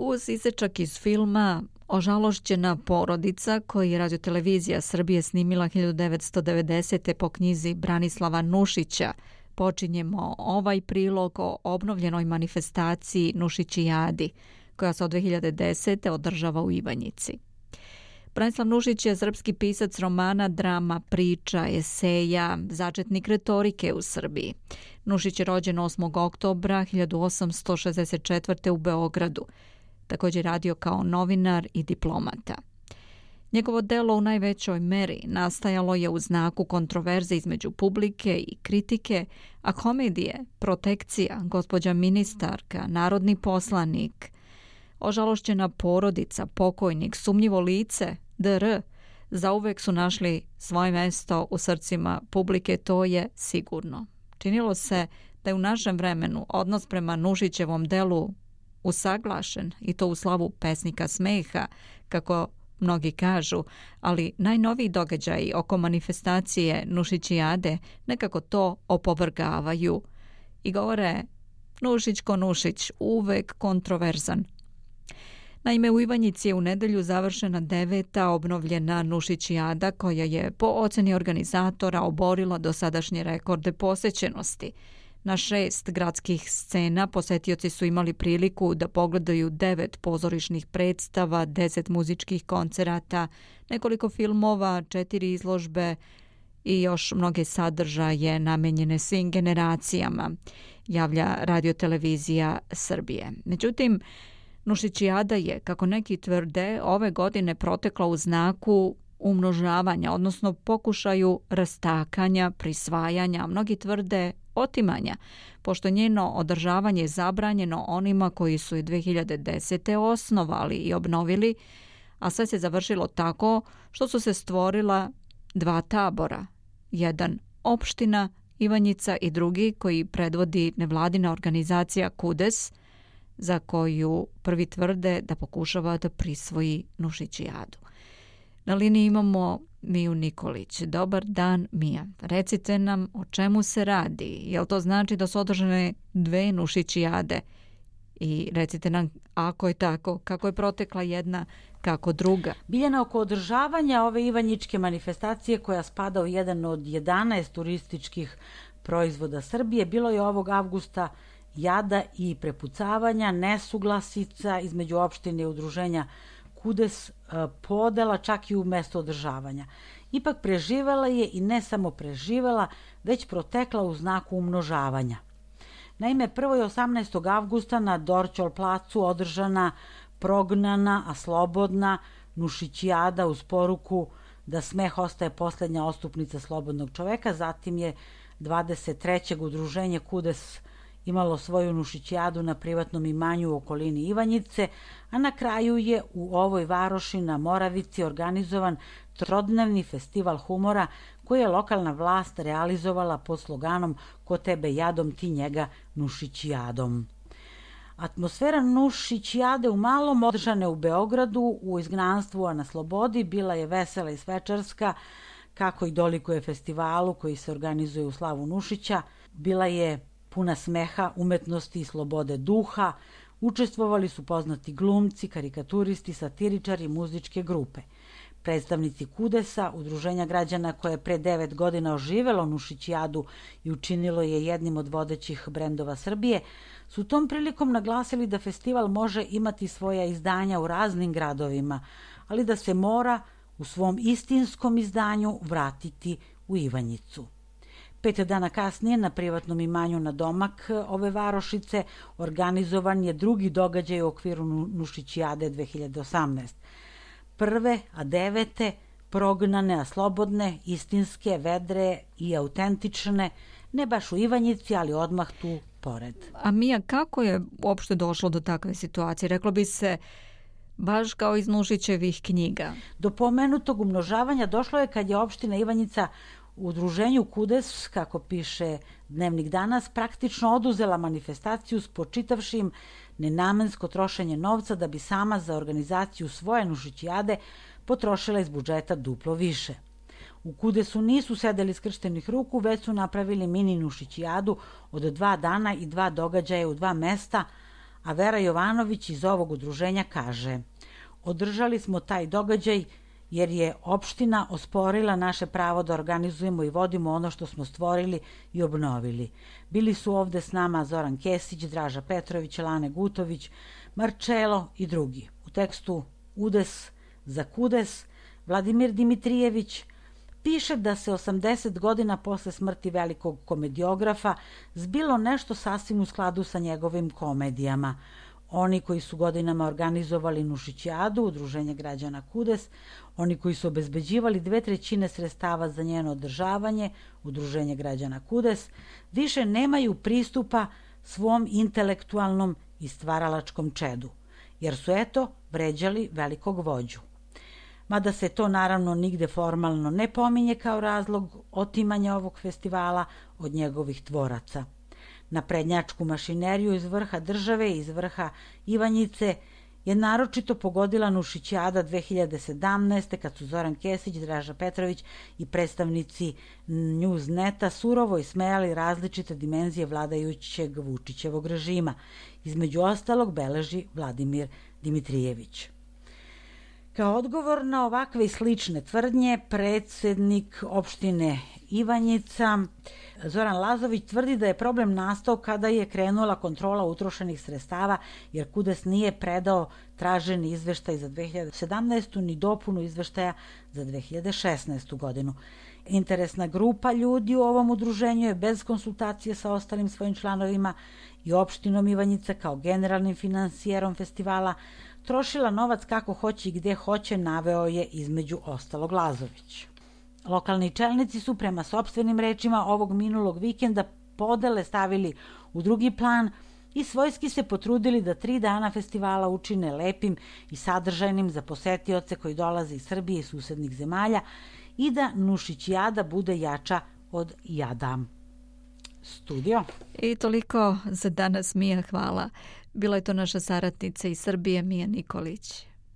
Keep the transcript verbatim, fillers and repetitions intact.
uz isečak iz filma Ožalošćena porodica, koji je Radio-televizija Srbije snimila hiljadu devetsto devedesete. po knjizi Branislava Nušića, počinjemo ovaj prilog o obnovljenoj manifestaciji Nušićijadi, koja se od dve hiljade desete. održava u Ivanjici. Branislav Nušić je srpski pisac romana, drama, priča, eseja, začetnik retorike u Srbiji. Nušić je rođen osmog oktobra hiljadu osamsto šezdeset četvrte. u Beogradu. Također radio kao novinar i diplomata. Njegovo delo u najvećoj meri nastajalo je u znaku kontroverze između publike i kritike, a komedije, Protekcija, Gospođa ministarka, Narodni poslanik, Ožalošćena porodica, Pokojnik, Sumnjivo lice, dr. zauvek su našli svoje mesto u srcima publike, to je sigurno. Činilo se da je u našem vremenu odnos prema Nušićevom delu usaglašen, i to u slavu pesnika smeha, kako mnogi kažu, ali najnoviji događaji oko manifestacije Nušićijade nekako to opovrgavaju i govore Nušić ko Nušić, uvek kontroverzan. Naime, u Ivanjici je u nedelju završena deveta obnovljena Nušićijada, koja je po oceni organizatora oborila dosadašnje rekorde posećenosti. Na šest gradskih scena posetioci su imali priliku da pogledaju devet pozorišnih predstava, deset muzičkih koncerata, nekoliko filmova, četiri izložbe i još mnoge sadržaje namenjene svim generacijama, javlja Radio-televizija Srbije. Međutim, Nušićijada je, kako neki tvrde, ove godine protekla u znaku umnožavanja, odnosno pokušaju rastakanja, prisvajanja, mnogi tvrde otimanja, pošto njeno održavanje je zabranjeno onima koji su je dve hiljade desete. osnovali i obnovili, a sve se završilo tako što su se stvorila dva tabora. Jedan opština Ivanjica i drugi koji predvodi nevladina organizacija Kudes, za koju prvi tvrde da pokušava da prisvoji Nušićijadu. Na liniji imamo Miju Nikolić. Dobar dan, Mija. Recite nam o čemu se radi. Jel to znači da su održane dve Nušićijade? I recite nam, ako je tako, kako je protekla jedna, kako druga? Biljana, oko održavanja ove ivanjičke manifestacije, koja spada u jedan od jedanaest turističkih proizvoda Srbije, bilo je ovog avgusta jada i prepucavanja, nesuglasica između opštine i udruženja Kudes, podela čak i u mesto održavanja. Ipak preživela je i ne samo preživela, već protekla u znaku umnožavanja. Naime, prvo je osamnaestog avgusta na Dorćol placu održana prognana, a slobodna Nušićijada uz poruku da smeh ostaje poslednja ostupnica slobodnog čoveka. Zatim je dvadeset trećeg udruženje Kudes imalo svoju Nušićijadu na privatnom imanju u okolini Ivanjice, a na kraju je u ovoj varoši na Moravici organizovan trodnevni festival humora koji je lokalna vlast realizovala pod sloganom Ko tebe jadom, ti njega Nušićijadom. Atmosfera Nušićijade u malom, održane u Beogradu u izgnanstvu, a na slobodi, bila je vesela i svečarska, kako i dolikuje festivalu koji se organizuje u slavu Nušića. Bila je puna smeha, umetnosti i slobode duha. Učestvovali su poznati glumci, karikaturisti, satiričari, muzičke grupe. Predstavnici Kudesa, udruženja građana koje je pre devet godina oživelo Nušićijadu i učinilo je jednim od vodećih brendova Srbije, su tom prilikom naglasili da festival može imati svoja izdanja u raznim gradovima, ali da se mora u svom istinskom izdanju vratiti u Ivanjicu. Pet dana kasnije na privatnom imanju na domak ove varošice organizovan je drugi događaj u okviru Nušićijade dve hiljade osamnaeste. Prve, a devete, prognane, a slobodne, istinske, vedre i autentične, ne baš u Ivanjici, ali odmah tu pored. A Mija, kako je uopšte došlo do takve situacije? Reklo bi se baš kao iz Nušićevih knjiga. Do pomenutog umnožavanja došlo je kad je opština Ivanjica u udruženju Kudes, kako piše Dnevnik danas, praktično oduzela manifestaciju spočitavši im nenamensko trošenje novca da bi sama za organizaciju svoje Nušićijade potrošila iz budžeta duplo više. U Kudesu nisu sedeli skrštenih ruku, već su napravili mini Nušićijadu od dva dana i dva događaja u dva mesta, a Vera Jovanović iz ovog udruženja kaže: održali smo taj događaj jer je opština osporila naše pravo da organizujemo i vodimo ono što smo stvorili i obnovili. Bili su ovde s nama Zoran Kesić, Draža Petrović, Lane Gutović, Marčelo i drugi. U tekstu Udes za kudes Vladimir Dimitrijević piše da se osamdeset godina posle smrti velikog komediografa zbilo nešto sasvim u skladu sa njegovim komedijama. Oni koji su godinama organizovali Nušićijadu, udruženje građana Kudes, oni koji su obezbeđivali dve trećine sredstava za njeno održavanje, udruženje građana Kudes, više nemaju pristupa svom intelektualnom i stvaralačkom čedu, jer su eto vređali velikog vođu. Mada se to naravno nigde formalno ne pominje kao razlog otimanja ovog festivala od njegovih tvoraca. Na prednjačku mašineriju iz vrha države i iz vrha Ivanjice je naročito pogodila Nušićijada dve hiljade sedamnaeste. kad su Zoran Kesić, Draža Petrović i predstavnici Newsneta surovo ismejali različite dimenzije vladajućeg Vučićevog režima. Između ostalog beleži Vladimir Dimitrijević. Kao odgovor na ovakve i slične tvrdnje, predsednik opštine Ivanjica Zoran Lazović tvrdi da je problem nastao kada je krenula kontrola utrošenih sredstava, jer Kudes nije predao traženi izveštaj za dve hiljade sedamnaestu. ni dopunu izveštaja za dve hiljade šesnaestu. godinu. Interesna grupa ljudi u ovom udruženju je bez konsultacije sa ostalim svojim članovima i opštinom Ivanjica kao generalnim finansijerom festivala trošila novac kako hoće i gde hoće, naveo je između ostalog Lazović. Lokalni čelnici su prema sopstvenim rečima ovog minulog vikenda podele stavili u drugi plan i svojski se potrudili da tri dana festivala učine lepim i sadržajnim za posetioce koji dolaze iz Srbije i susednih zemalja i da Nušićijada bude jača od jada. Studio. I toliko za danas, Mija, hvala. Bila je to naša saradnica iz Srbije, Mija Nikolić.